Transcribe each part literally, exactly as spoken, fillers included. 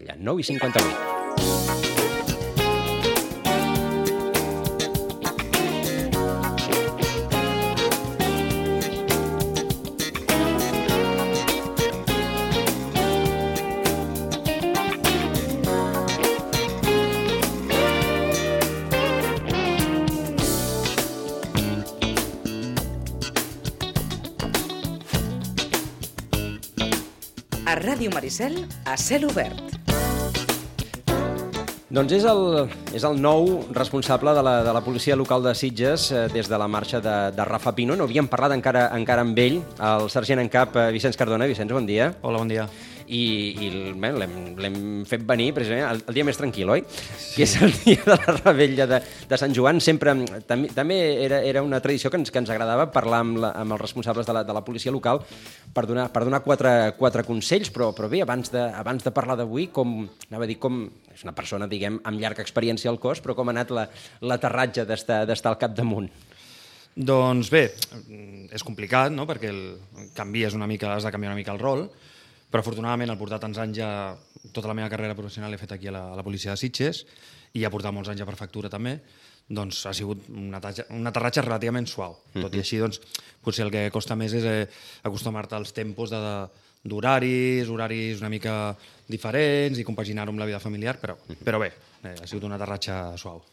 Revetlla. nou i cinquanta-vuit. A Ràdio Maricel, a cel obert. Doncs és el, és el nou responsable de la, de la policia local de Sitges eh, des de la marxa de, de Rafa Pino. No havíem parlat encara, encara amb ell, el sergent en cap eh, Vicenç Cardona. Vicenç, bon dia. Hola, bon dia. I, i bé, l'hem fet venir precisament el, el dia més tranquil, oi? Sí. Que és el dia de la Revetlla de, de Sant Joan. Sempre, també, també era, era una tradició que ens, que ens agradava parlar amb, la, amb els responsables de la, de la policia local per donar, per donar quatre, quatre consells, però, però bé, abans de, abans de parlar d'avui, com, anava a dir, com és una persona, diguem, amb llarga experiència al cos, però com ha anat l'aterratge d'estar, d'estar al capdamunt? Doncs bé, és complicat, no?, perquè el, canvies una mica, has de canviar una mica el rol, però afortunadament al portar tants anys ja, tota la meva carrera professional l'he fet aquí a la, a la policia de Sitges i ha portat molts anys a prefectura també, doncs ha sigut un aterratge, un aterratge relativament suau. Mm-hmm. Tot i així, doncs, potser el que costa més és eh, acostumar-te als tempos de, d'horaris, horaris una mica diferents i compaginar-ho amb la vida familiar, però, però bé, eh, ha sigut un aterratge suau.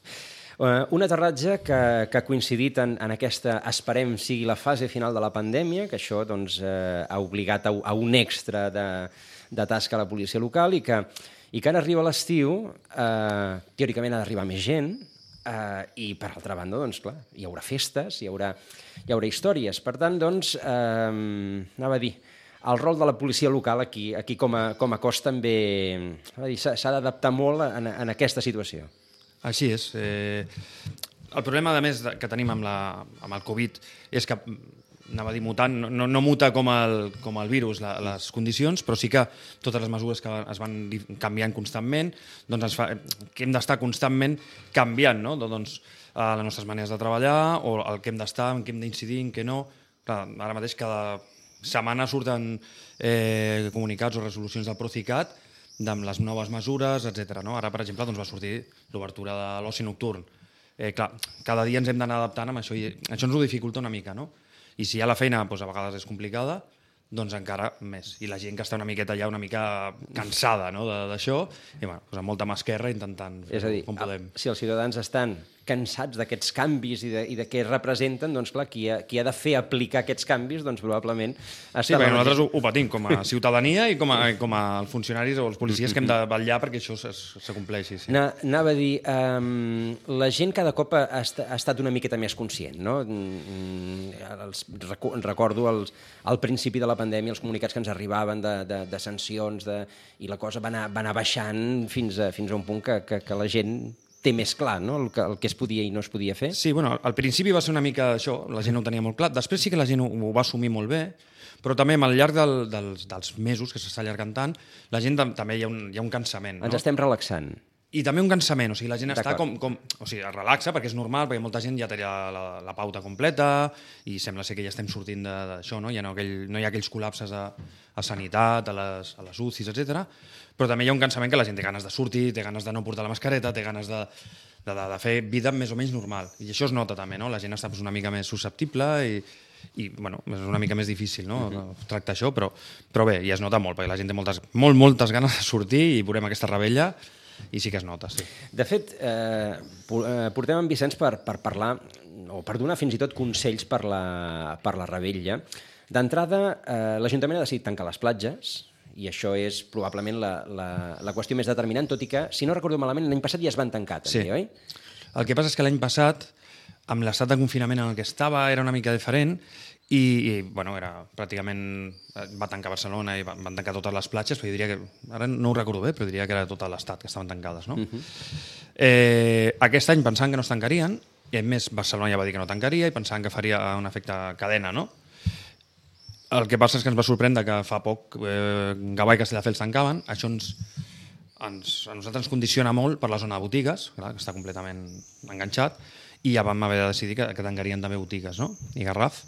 Uh, un aterratge que, que ha coincidit en, en aquesta, esperem, sigui la fase final de la pandèmia, que això doncs, uh, ha obligat a, a un extra de, de tasca a la policia local i que, i que ara arriba l'estiu, uh, teòricament ha d'arribar més gent, uh, i per altra banda, doncs, clar, hi haurà festes, hi haurà, hi haurà històries. Per tant, doncs, uh, anava a dir, el rol de la policia local aquí, aquí com, a, com a cos també s'ha d'adaptar molt en, en aquesta situació. Així és. Eh, el problema, a més, que tenim amb, la, amb el Covid és que, anava a dir mutant, no, no muta com el, com el virus la, les condicions, però sí que totes les mesures que es van canviant constantment, doncs ens fa, que hem d'estar constantment canviant, no? Doncs, eh, les nostres maneres de treballar o el que hem d'estar, en què hem d'incidir, en què no. Clar, ara mateix cada setmana surten eh, comunicats o resolucions del Procicat amb les noves mesures, etcètera. No? Ara, per exemple, doncs va sortir l'obertura de l'oci nocturn. Eh, clar, cada dia ens hem d'anar adaptant amb això i això ens ho dificulta una mica, no? I si ja la feina doncs, a vegades és complicada, doncs encara més. I la gent que està una miqueta ja una mica cansada, no?, d'això, i bueno, doncs amb molta mà esquerra intentant fer és a dir, com podem. Si els ciutadans estan cansats d'aquests canvis i de, i de què representen, doncs clar, qui ha, qui ha de fer aplicar aquests canvis, doncs probablement... Sí, perquè nosaltres ho, ho patim com a ciutadania i com a, com a funcionaris o els policies que hem de vetllar perquè això s'acompleixi. Sí. Anava a dir, um, la gent cada cop ha, ha estat una miqueta més conscient, no? Els, recordo els, al principi de la pandèmia els comunicats que ens arribaven de, de, de sancions de, i la cosa va anar, va anar baixant fins a, fins a un punt que, que, que la gent té més clar, no?, el que, el que es podia i no es podia fer. Sí, bueno, al principi va ser una mica això, la gent no ho tenia molt clar, després sí que la gent ho, ho va assumir molt bé, però també al llarg del, dels, dels mesos que s'està allargant tant, la gent també hi ha un, hi ha un cansament. No? Ens estem relaxant. I també un cansament, o sigui, la gent està com, com... O sigui, es relaxa perquè és normal, perquè molta gent ja té la, la, la pauta completa i sembla ser que ja estem sortint d'això, no? Ja no, aquell, no hi ha aquells col·lapses a, a sanitat, a les, a les U C Is, etcètera. Però també hi ha un cansament que la gent té ganes de sortir, té ganes de no portar la mascareta, té ganes de, de, de, de fer vida més o menys normal. I això es nota també, no? La gent està una mica més susceptible i, i bueno, és una mica més difícil, no?, uh-huh. tractar això, però, però bé, ja es nota molt, perquè la gent té moltes, molt, moltes ganes de sortir i veurem aquesta Revetlla i sí que es nota, sí. De fet, eh, portem en Vicenç per, per parlar, o per donar fins i tot consells per la, per la Revetlla. D'entrada, eh, l'Ajuntament ha decidit tancar les platges, i això és probablement la, la, la qüestió més determinant, tot i que, si no recordo malament, l'any passat ja es van tancar, també, sí. Oi? El que passa és que l'any passat, amb l'estat de confinament en el que estava, era una mica diferent, i, i bueno, era pràcticament... va tancar Barcelona i van tancar totes les platges, però jo diria que... Ara no ho recordo bé, però diria que era tot l'estat que estaven tancades, no? Uh-huh. eh, aquest any pensaven que no es tancarien, i a més Barcelona ja va dir que no tancaria, i pensaven que faria un efecte cadena, no? El que passa és que ens va sorprendre que fa poc eh, Gavà i Castelldefels tancaven, això ens, ens, a nosaltres ens condiciona molt per la zona de botigues, clar, que està completament enganxat, i ja vam haver de decidir que, que tancarien també botigues, no?, i Garraf.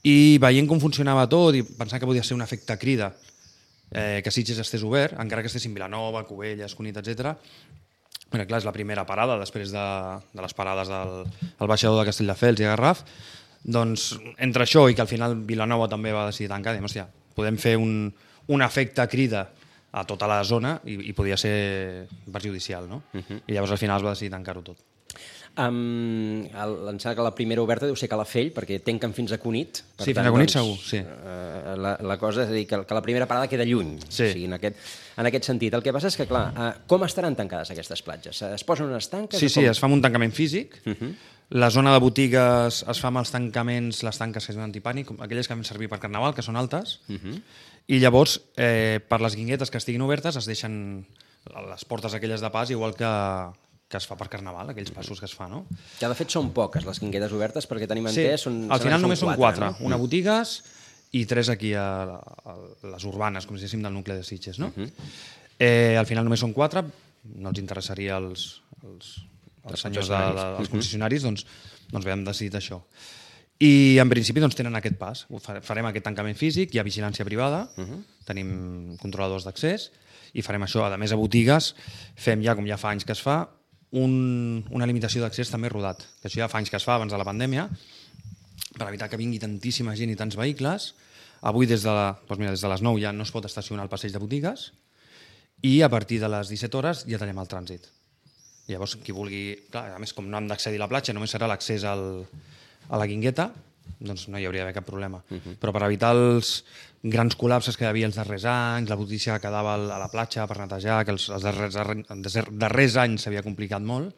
I veient com funcionava tot i pensant que podia ser un efecte crida eh, que Sitges estés obert, encara que estessin Vilanova, Cubelles, Cunit, etcètera. Perquè, clar, és la primera parada després de, de les parades del el baixador de Castelldefels i Garraf. Doncs entre això i que al final Vilanova també va decidir tancar, diem, hòstia, podem fer un, un efecte crida a tota la zona i, i podia ser perjudicial, no? Uh-huh. I llavors al final es va decidir tancar-ho tot. Um, el, em sembla que la primera oberta deu ser Calafell, perquè tanquen fins a Cunit. Per sí, tant, fins a Cunit doncs, segur, sí. Uh, la, la cosa és a dir, que, que la primera parada queda lluny. Sí. O sigui, en, aquest, en aquest sentit. El que passa és que, clar, uh, com estaran tancades aquestes platges? Es posen unes tanques? Sí, sí, com? es fa amb un tancament físic. Uh-huh. La zona de botigues es fa amb els tancaments, les tanques que es diuen antipànic, aquelles que vam servir per Carnaval, que són altes, uh-huh. i llavors, eh, per les guinguetes que estiguin obertes, es deixen les portes aquelles de pas, igual que, que es fa per Carnaval, aquells passos que es fa, no? Que de fet són poques les guinguetes obertes, perquè tenim entès... Sí, són, al final només són quatre. No? Una botigues i tres aquí a, a, a les urbanes, com si diguéssim del nucli de Sitges, no? Uh-huh. eh, al final només són quatre, no els interessaria als, als, als senyors de, de, dels concessionaris, doncs, doncs bé, hem decidit això. I en principi doncs, tenen aquest pas. Farem aquest tancament físic, hi ha vigilància privada, uh-huh. tenim controladors d'accés i farem això. A més, a botigues fem ja, com ja fa anys que es fa, un, una limitació d'accés també rodat. Que això ja fa anys que es fa abans de la pandèmia, per evitar que vingui tantíssima gent i tants vehicles. Avui des de, la, doncs mira, des de les nou ja no es pot estacionar al passeig de botigues i a partir de les disset hores ja tenim el trànsit. Llavors, qui vulgui... Clar, a més, com no hem d'accedir a la platja, només serà l'accés al, a la guingueta, doncs no hi hauria d'haver cap problema. Uh-huh. Però per evitar els grans col·lapses que hi havia els darrers anys, la brutícia que quedava a la platja per netejar, que els, els darrers, darrers, darrers anys s'havia complicat molt,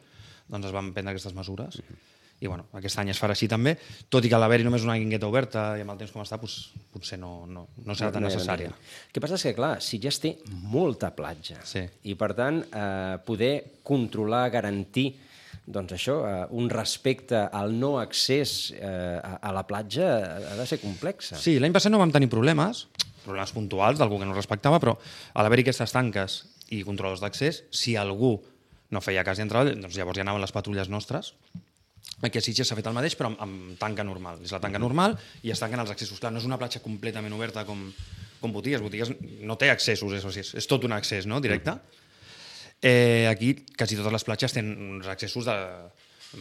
doncs es van prendre aquestes mesures. Uh-huh. I bueno, aquest any es farà així també, tot i que a l'haver-hi només una guingueta oberta i amb el temps com està, doncs, potser no, no, no serà tan necessària. El que passa és que, clar, Sitges té molta platja. Sí. I, per tant, eh, poder controlar, garantir doncs això, eh, un respecte al no accés eh, a, a la platja ha de ser complexa. Sí, l'any passat no vam tenir problemes, problemes puntuals d'algú que no respectava, però a l'haver-hi aquestes tanques i controladors d'accés, si algú no feia cas i entrava, doncs llavors ja anaven les patrulles nostres. Aquí a Sitges s'ha fet el mateix, però amb, amb tanca normal. És la tanca normal i es tanquen els accessos. Clar, no és una platja completament oberta com, com botigues. Botigues no té accessos, és, és, és tot un accés, no?, directe. Eh, aquí quasi totes les platges tenen uns accessos de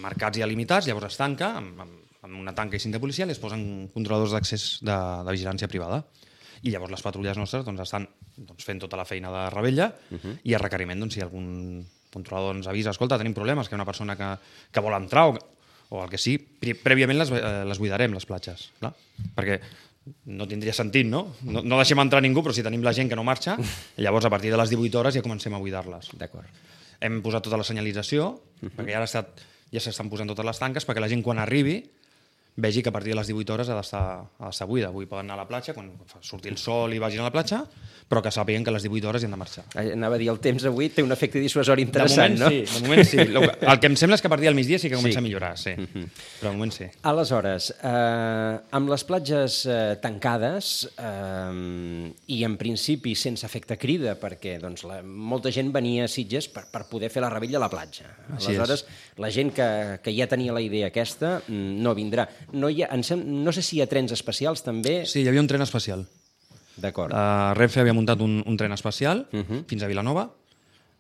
marcats i limitats, llavors es tanca amb, amb, amb una tanca i cinta policial i es posen controladors d'accés de, de vigilància privada. I llavors les patrulles nostres doncs, estan doncs, fent tota la feina de rebella uh-huh. i a requeriment, doncs, si algun controlador ens avisa, escolta, tenim problemes, que hi ha una persona que, que vol entrar o, o el que sí, prèviament les, eh, les buidarem, les platges, clar? Perquè no tindria sentit, no? no? No deixem entrar ningú, però si tenim la gent que no marxa, llavors a partir de les divuit hores ja comencem a buidar-les. D'acord. Hem posat tota la senyalització, uh-huh. perquè ja ja s'estan posant totes les tanques, perquè la gent quan arribi vegi que a partir de les divuit hores ha d'estar buida. Avui poden anar a la platja, quan surti el sol i vagin a la platja, però que sàpiguen que a les divuit hores hi han de marxar. Anava a dir, el temps avui té un efecte dissuasori interessant, de moment, no? Sí, de moment sí. El que em sembla és que a partir del migdia sí que comença sí. a millorar, sí. Uh-huh. Però de moment sí. Aleshores, eh, amb les platges eh, tancades eh, i en principi sense efecte crida, perquè doncs, la, molta gent venia a Sitges per, per poder fer la rebella a la platja. Aleshores, la gent que, que ja tenia la idea aquesta no vindrà. No, hi ha, sem... no sé si hi ha trens especials també. Sí, hi havia un tren especial. D'acord. Uh, Renfe havia muntat un, un tren especial uh-huh. fins a Vilanova,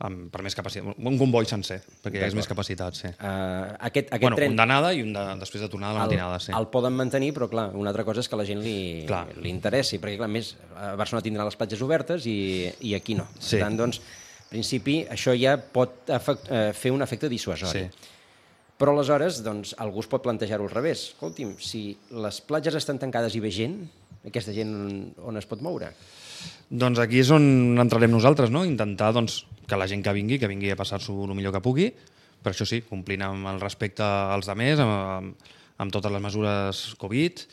amb, per més capacitat. Un comboi sencer, perquè hi ha més capacitat, sí. Uh, aquest, aquest bueno, tren... un d'anada i un de, després de tornada a la el, matinada, sí. El poden mantenir, però clar, una altra cosa és que a la gent li, li interessi, perquè clar, més a Barcelona tindrà les platges obertes i, i aquí no. Sí. Per tant, doncs, en principi, això ja pot efect, uh, fer un efecte dissuasori. Sí. Però aleshores, doncs, algú es pot plantejar-ho al revés. Escolti'm, si les platges estan tancades i ve gent, aquesta gent on es pot moure? Doncs aquí és on entrarem nosaltres, no? Intentar doncs, que la gent que vingui, que vingui a passar-s'ho el millor que pugui, però això sí, complint amb el respecte als altres, amb, amb, amb totes les mesures Covid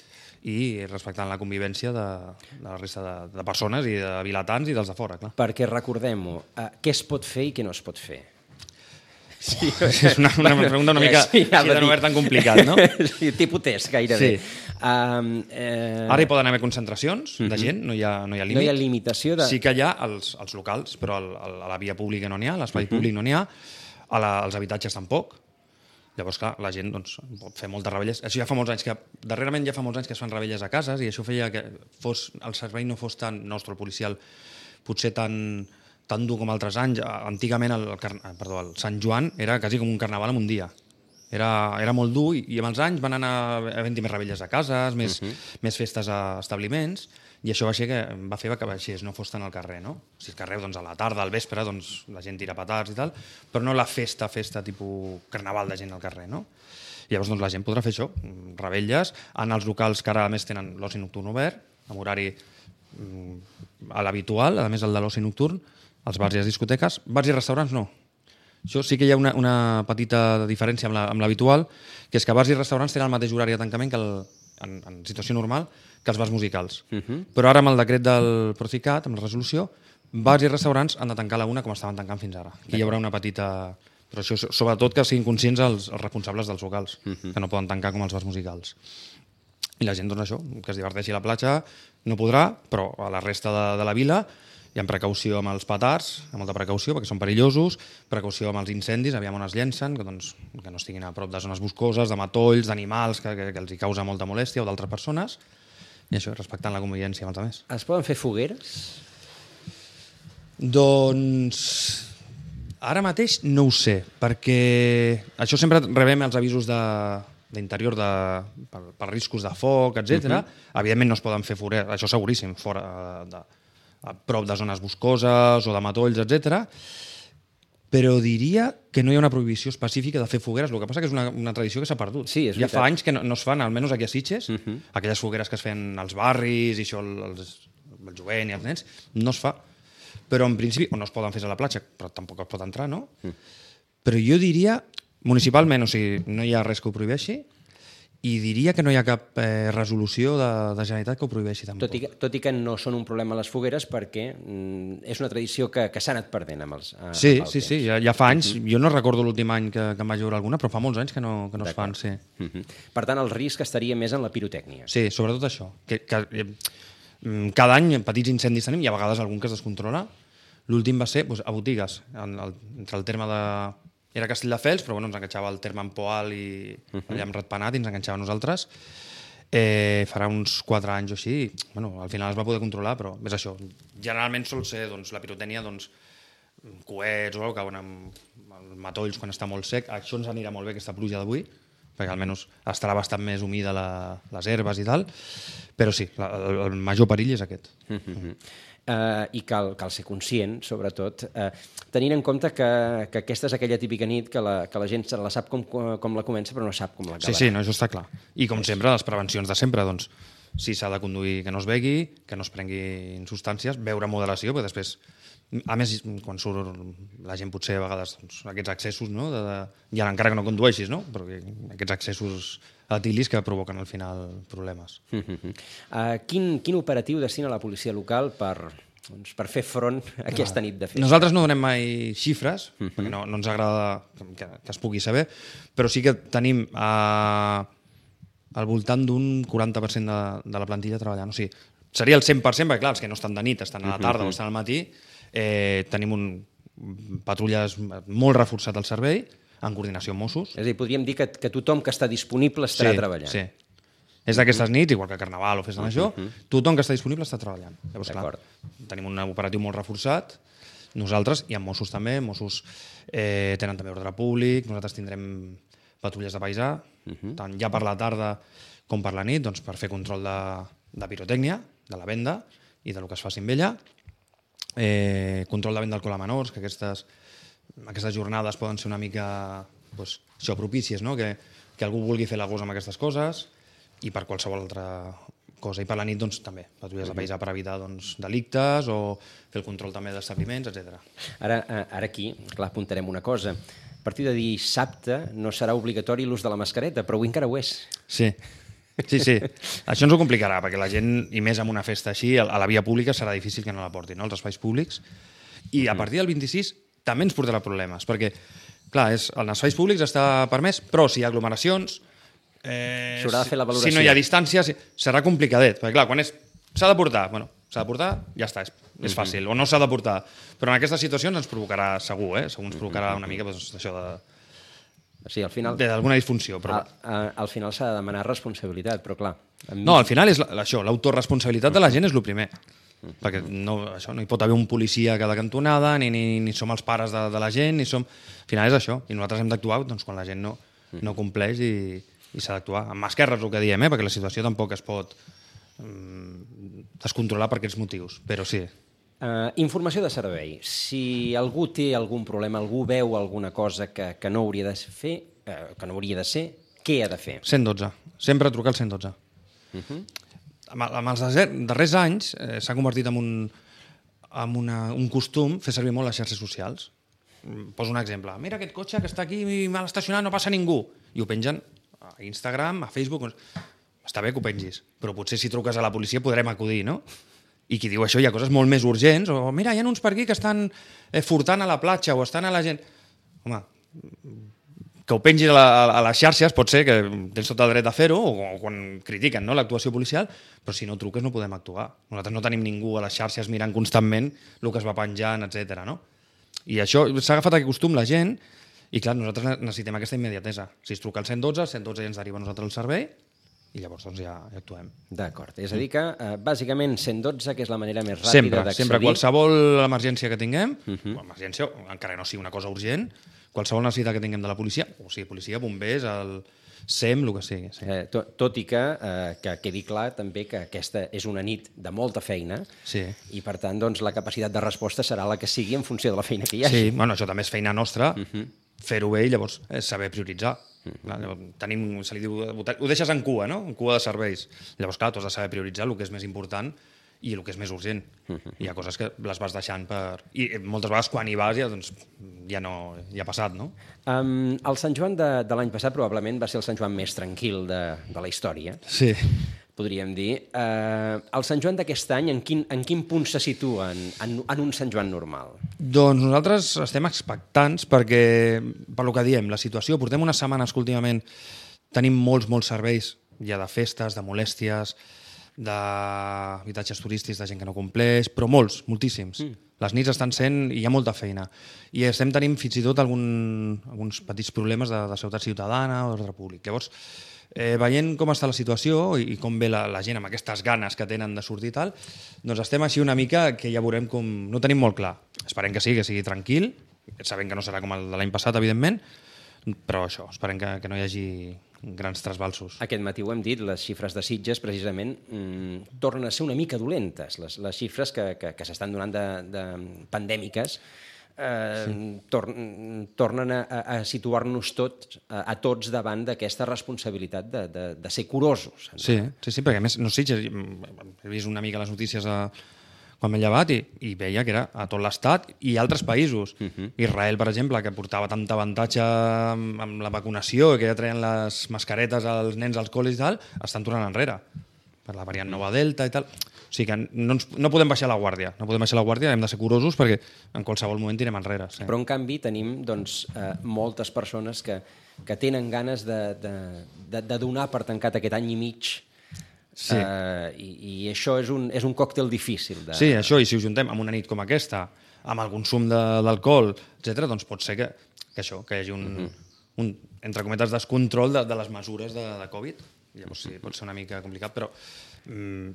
i respectant la convivència de, de la resta de, de persones i de vilatans i dels de fora, clar. Perquè recordem-ho, eh, què es pot fer i què no es pot fer? Sí, és una, una pregunta una mica sí, ja de no haver tan complicat, no? Sí, tipus test, gairebé. Sí. Um, eh... Ara hi poden haver concentracions uh-huh. de gent, no hi ha, no hi ha límit. No hi ha limitació de... Sí que hi ha als, als locals, però al, al, a la via pública no n'hi ha, a l'espai uh-huh. públic no n'hi ha, a la, als habitatges tampoc. Llavors, clar, la gent doncs, pot fer moltes rebelles. Això ja fa molts anys que... Darrerament ja fa molts anys que es fan rebelles a cases i això feia que fos, el servei no fos tan nostre, el policial, potser tan, tan dur com altres anys. Antigament el, el, perdó, el Sant Joan era quasi com un carnaval en un dia. Era, era molt dur i, i amb els anys van anar havent-hi més revetlles a cases, més, uh -huh. més festes a establiments, i això va, ser que, va fer que baixés, no fos tant al carrer, no? Si al carrer, doncs, a la tarda, al vespre, doncs, la gent tira petards i tal, però no la festa, festa tipus carnaval de gent al carrer, no? Llavors, doncs, la gent podrà fer això, revetlles, en els locals que ara, a més, tenen l'oci nocturn obert, amb horari a l'habitual, a més el de l'oci nocturn, els bars i les discoteques, bars i restaurants no. Això sí que hi ha una, una petita diferència amb l'habitual, la, que és que bars i restaurants tenen el mateix horari de tancament que el, en, en situació normal que els bars musicals. Uh -huh. Però ara amb el decret del Procicat, amb la resolució, bars i restaurants han de tancar a la una com estaven tancant fins ara. Aquí hi haurà una petita... Però això, sobretot que siguin conscients els, els responsables dels locals, uh -huh. que no poden tancar com els bars musicals. I la gent, doncs això, que es diverteixi a la platja, no podrà, però a la resta de, de la vila i amb precaució amb els petards, amb molta precaució, perquè són perillosos, precaució amb els incendis, aviam on es llencen, que, doncs, que no estiguin a prop de zones boscoses, de matolls, d'animals, que, que, que els hi causa molta molèstia, o d'altres persones, i això, respectant la convivència amb els altres. Es poden fer fogueres? Doncs... Ara mateix no ho sé, perquè això sempre rebem els avisos de d'interior de, per, per riscos de foc, etcètera. Uh-huh. Evidentment no es poden fer fogueres, això seguríssim, fora de, a prop de zones boscoses o de matolls, etcètera. Però diria que no hi ha una prohibició específica de fer fogueres, el que passa que és una, una tradició que s'ha perdut. Sí, és ja fa anys que no, no es fan, almenys aquí a Sitges, uh-huh. aquelles fogueres que es feien als barris i això, el, el jovent i els nens, no es fa. Però en principi, o no es poden fer a la platja, però tampoc es pot entrar, no? Mm. Però jo diria, municipalment, o sigui, no hi ha res que ho prohibeixi, i diria que no hi ha cap eh, resolució de, de Generalitat que ho prohibeixi tampoc. Tot i, que, tot i que no són un problema les fogueres, perquè mm, és una tradició que, que s'ha anat perdent amb els a, Sí, amb el sí, temps. sí, ja, ja fa anys, mm-hmm. jo no recordo l'últim any que, que em vaig veure alguna, però fa molts anys que no, que no es fan, sí. Mm-hmm. Per tant, el risc estaria més en la pirotècnia. Sí, sobretot això. Que, que, eh, cada any petits incendis tenim i a vegades algun que es descontrola. L'últim va ser doncs, a botigues, en el, entre el terme de... Era Castelldefels, però bueno, ens enganxava el terme en Poal i uh-huh. allà amb Ratpenat i ens enganxava a nosaltres. Eh, farà uns quatre anys o així. Bueno, al final es va poder controlar, però és això. Generalment sol ser doncs, la pirotènia, doncs, coets o alguna cosa, amb matolls quan està molt sec. Això ens anirà molt bé, aquesta pluja d'avui, perquè almenys estarà bastant més humida la, les herbes i tal. Però sí, la, el, el major perill és aquest. Uh-huh. Uh, i cal, cal ser conscient, sobretot, uh, tenint en compte que, que aquesta és aquella típica nit que la, que la gent se la sap com, com la comença però no sap com l'acabarà. Sí, sí, no, això està clar. I com sempre, les prevencions de sempre, doncs, si s'ha de conduir que no es begui, que no es prenguin substàncies, beure moderació, perquè després, a més, quan surt la gent potser a vegades doncs, aquests excessos, no? de, de, ja encara que no condueixis, no? Però aquests excessos etilis que provoquen al final problemes. Uh-huh. Uh, quin, quin operatiu destina la policia local per, doncs, per fer front a aquesta nit de festa? Nosaltres no donem mai xifres, uh-huh. perquè no, no ens agrada que, que es pugui saber, però sí que tenim uh, al voltant d'un quaranta per cent de, de la plantilla treballant. O sigui, seria el cent per cent, perquè clar, els que no estan de nit, estan a la tarda uh-huh. o estan al matí, eh, tenim un patrulles molt reforçat al servei, en coordinació amb Mossos. És a dir, podríem dir que, que tothom que està disponible estarà sí, treballant. Sí, és d'aquestes nits, igual que Carnaval o Festa Major, uh -huh. tothom que està disponible està treballant. Llavors, clar, tenim un operatiu molt reforçat, nosaltres, i amb Mossos també, Mossos eh, tenen també ordre públic, nosaltres tindrem patrulles de paisà, uh -huh. tant ja per la tarda com per la nit, doncs, per fer control de, de pirotècnia, de la venda i de lo que es faci amb ella, eh, control de venda d'alcohol a menors, que aquestes aquestes jornades poden ser una mica doncs, això, propícies, no? que, que algú vulgui fer la gosa amb aquestes coses i per qualsevol altra cosa. I per la nit doncs, també, patrulles de paisà per evitar doncs, delictes o fer el control també d'establiments, etcètera. Ara, ara aquí, clar, apuntarem una cosa. A partir de dissabte no serà obligatori l'ús de la mascareta, però avui encara ho és. Sí, sí, sí. Això ens ho complicarà, perquè la gent, i més amb una festa així, a la via pública serà difícil que no la portin, no? Els espais públics. I a partir del vint-i-sis també ens portarà problemes, perquè, clar, és, en els espais públics està permès, però si hi ha aglomeracions, eh, s'haurà de fer la valoració. Si no hi ha distància, serà complicadet, perquè, clar, quan és s'ha de portar, bueno, s'ha de portar, ja està, és, és fàcil, o no s'ha de portar. Però en aquestes situacions ens provocarà, segur, eh? segur ens provocarà una mica doncs, això de... Sí, al final... d'alguna disfunció. Però... A, a, al final s'ha de demanar responsabilitat, però clar... Mi... No, al final és la, això, l'autoresponsabilitat de la gent és el primer. Mm. Perquè no, això, no hi pot haver un policia a cada cantonada, ni, ni, ni som els pares de, de la gent, ni som... Al final és això, i nosaltres hem d'actuar doncs, quan la gent no, no compleix i, i s'ha d'actuar. Amb mà esquerra és el que diem, eh? Perquè la situació tampoc es pot mm, descontrolar per aquests motius, però sí. Uh, informació de servei. Si algú té algun problema, algú veu alguna cosa que, que no hauria de fer, uh, que no hauria de ser, què ha de fer? cent dotze. Sempre trucar al cent dotze. Uh -huh. amb, amb els darrers anys eh, s'ha convertit en, un, en una, un costum fer servir molt les xarxes socials. Poso un exemple. Mira aquest cotxe que està aquí mal estacionat, no passa ningú. I ho pengen a Instagram, a Facebook. Està bé que ho pengis, però potser si truques a la policia podrem acudir, no? I qui diu això hi ha coses molt més urgents, o mira, hi ha uns per aquí que estan eh, furtant a la platja o estan a la gent... Home, que ho pengis a, la, a les xarxes pot ser que tens tot el dret a fer-ho, o quan critiquen, no, l'actuació policial, però si no truques no podem actuar. Nosaltres no tenim ningú a les xarxes mirant constantment el que es va penjant, etcètera. No? I això s'ha agafat aquest costum la gent, i clar, nosaltres necessitem aquesta immediatesa. Si es truca al cent dotze, el cent dotze ja ens deriva a nosaltres el servei, i llavors doncs, ja, ja actuem. D'acord. És a dir que, eh, bàsicament, cent dotze, que és la manera més ràpida sempre, d'accedir... Sempre, qualsevol emergència que tinguem, uh -huh. emergència, encara que no sigui una cosa urgent, qualsevol necessitat que tinguem de la policia, o sigui, policia, bombers, el S E M, el que sigui. Sí. Eh, tot, tot i que, eh, que quedi clar també que aquesta és una nit de molta feina, sí. I per tant doncs, la capacitat de resposta serà la que sigui en funció de la feina que hi hagi. Sí, bueno, això també és feina nostra, uh -huh. fer-ho bé i llavors eh, saber prioritzar. Clar, tenim, se li diu, ho deixes en cua, no? En cua de serveis. Llavors, clar, tu has de saber prioritzar el que és més important i el que és més urgent. Uh-huh. Hi ha coses que les vas deixant per... I moltes vegades quan hi vas ja, doncs, ja, no, ja ha passat, no? Um, el Sant Joan de, de l'any passat probablement va ser el Sant Joan més tranquil de, de la història. Sí. Podríem dir. Uh, el Sant Joan d'aquest any, en quin, en quin punt se situa en, en, en un Sant Joan normal? Doncs nosaltres estem expectants perquè, per lo que diem, la situació, portem unes setmanes que últimament tenim molts, molts serveis, ja de festes, de molèsties, d'habitatges turístics, de gent que no compleix, però molts, moltíssims. Mm. Les nits estan sent i hi ha molta feina. I estem tenint fins i tot algun, alguns petits problemes de, de seguretat ciutadana o d'ordre públic. Llavors, Eh, veient com està la situació i com ve la, la gent amb aquestes ganes que tenen de sortir i tal, doncs estem així una mica que ja veurem com... No tenim molt clar. Esperem que sigui, que sigui tranquil, sabem que no serà com el de l'any passat, evidentment, però això, esperem que, que no hi hagi grans trasbalsos. Aquest matí ho hem dit, les xifres de Sitges, precisament, mmm, tornen a ser una mica dolentes. Les, les xifres que, que, que s'estan donant de, de pandèmiques Eh, sí. tor tornen a, a situar-nos tots, a, a tots davant d'aquesta responsabilitat de, de, de ser curosos. Sí, sí, sí, perquè a més, no sé, he vist una mica les notícies a, quan m'he llevat i, i veia que era a tot l'estat i altres països. Uh -huh. Israel, per exemple, que portava tant avantatge amb, amb la vacunació i que ja treien les mascaretes als nens als col·legis i tal, estan tornant enrere per la variant nova Delta i tal. O sigui que no, ens, no podem baixar la guàrdia, no podem baixar la guàrdia, hem de ser curosos perquè en qualsevol moment tirem enrere. Sí. Però en canvi tenim doncs, eh, moltes persones que, que tenen ganes de, de, de, de donar per tancat aquest any i mig, sí. eh, i, i això és un, és un còctel difícil. De... Sí, això, i si ho juntem amb una nit com aquesta, amb el consum d'alcohol, etcètera, doncs pot ser que, que això, que hi hagi un, uh -huh. un entre cometes, descontrol de, de les mesures de, de Covid. Llavors sí, pot ser una mica complicat, però mm,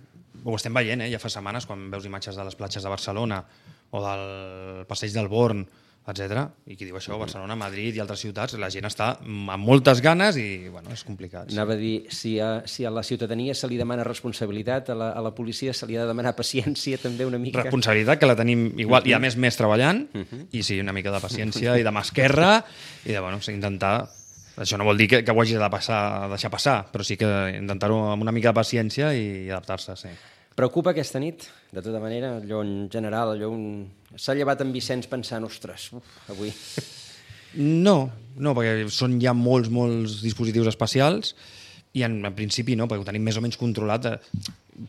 ho estem veient, eh? Ja fa setmanes, quan veus imatges de les platges de Barcelona o del passeig del Born, etcètera. I qui diu això, Barcelona, Madrid i altres ciutats, la gent està amb moltes ganes i bueno, és complicat. Sí. Anava a dir, si a, si a la ciutadania se li demana responsabilitat, a la, a la policia se li ha de demanar paciència també una mica. Responsabilitat, que la tenim igual, uh -huh. i a més més treballant, uh -huh. i sí, una mica de paciència i de mà esquerra, i de bueno, intentar... Això no vol dir que, que ho hagi de passar, deixar passar, però sí que intentar-ho amb una mica de paciència i adaptar-se, sí. Preocupa aquesta nit, de tota manera, allò en general, allò un... S'ha llevat en Vicenç pensant, ostres, uf, avui... No, no, perquè són ja molts, molts dispositius especials i en, en principi no, perquè ho tenim més o menys controlat, eh,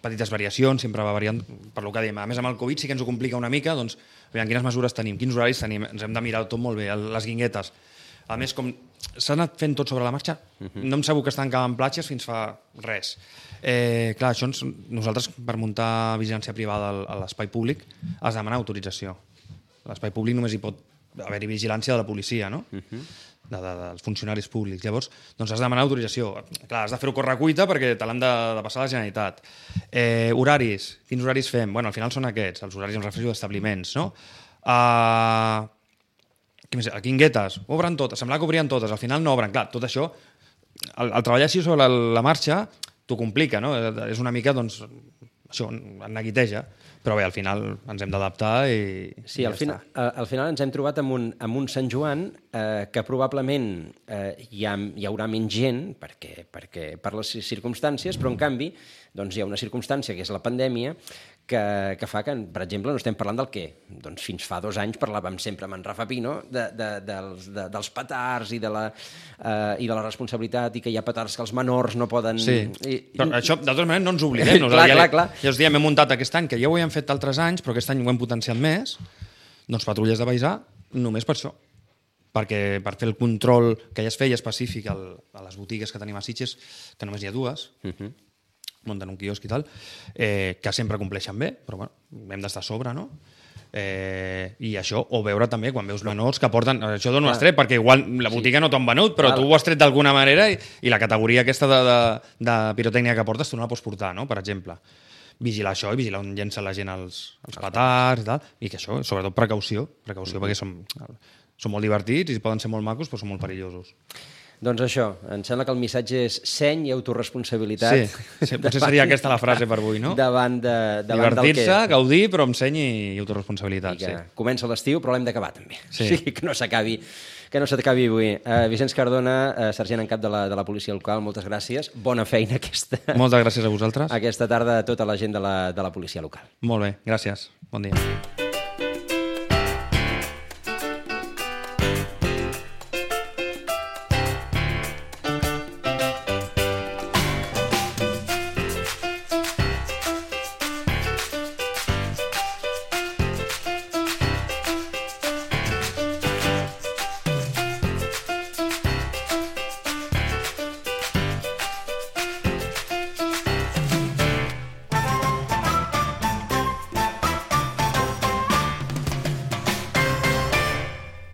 petites variacions, sempre va variant, per lo que dèiem. A més, amb el Covid sí que ens ho complica una mica, doncs, aviam, quines mesures tenim, quins horaris tenim, ens hem de mirar tot molt bé, les guinguetes. A més, com s'ha anat fent tot sobre la marxa, uh -huh. no em sabut que estan acabant platges fins fa res. Eh, clar, això ens, nosaltres, per muntar vigilància privada a l'espai públic, has de demanar autorització. A l'espai públic només hi pot haver-hi vigilància de la policia, no? Uh -huh. de, de, dels funcionaris públics. Llavors, doncs has de demanar autorització. Clar, has de fer-ho correcuita perquè te l'han de, de passar a la Generalitat. Eh, horaris. Quins horaris fem? Bueno, al final són aquests, els horaris em refereixo d'establiments, no? Uh, a Guinguetes, obren totes, semblava que obrien totes, al final no obren. Clar, tot això, el, el treballar així sobre la, la marxa t'ho complica, no? És una mica, doncs, això, en neguiteja, però bé, al final ens hem d'adaptar i... Sí, i al, ja final, al final ens hem trobat amb un, amb un Sant Joan eh, que probablement eh, hi, ha, hi haurà menys gent perquè, perquè per les circumstàncies, però en canvi doncs hi ha una circumstància que és la pandèmia que, que fa que, per exemple, no estem parlant del què? Doncs fins fa dos anys parlàvem sempre amb en Rafa Pino de, de, dels, de, dels petards i de, la, eh, i de la responsabilitat i que hi ha petards que els menors no poden... Sí, I, però i... això, de totes maneres, no ens oblidem. clar, ja, clar, clar. Ja us diem, hem muntat aquest any, que ja ho hem fet altres anys, però aquest any ho hem potenciat més, doncs patrulles de paisà, només per això. Perquè per fer el control que ja es feia específic al, a les botigues que tenim a Sitges, que només hi ha dues, uh -huh. munten un quiosc i tal, eh, que sempre compleixen bé, però bueno, hem d'estar a sobre, no? Eh, I això, o veure també quan veus menors que porten... Això dona un estret, perquè igual la botiga sí. no t'ho han venut, però Clar. tu ho has tret d'alguna manera i, i la categoria aquesta de, de, de pirotècnia que portes tu no la pots portar, no? Per exemple. Vigilar això i vigilar on llença la gent els, els petards i tal, i que això, sobretot precaució, precaució mm-hmm. perquè són, són molt divertits i poden ser molt macos, però són molt perillosos. Doncs això, em sembla que el missatge és seny i autoresponsabilitat. Sí, sí potser seria aquesta la frase per avui, no? Davant, de, davant Divertir-se, del que... gaudir, però amb seny i autoresponsabilitat. I que sí. comença l'estiu, però l'hem d'acabar també. Sí. O sigui, que no s'acabi que no s'acabi avui. Uh, Vicenç Cardona, uh, sergent en cap de la, de la policia local, moltes gràcies. Bona feina aquesta... Moltes gràcies a vosaltres. Aquesta tarda a tota la gent de la, de la policia local. Molt bé, gràcies. Bon dia.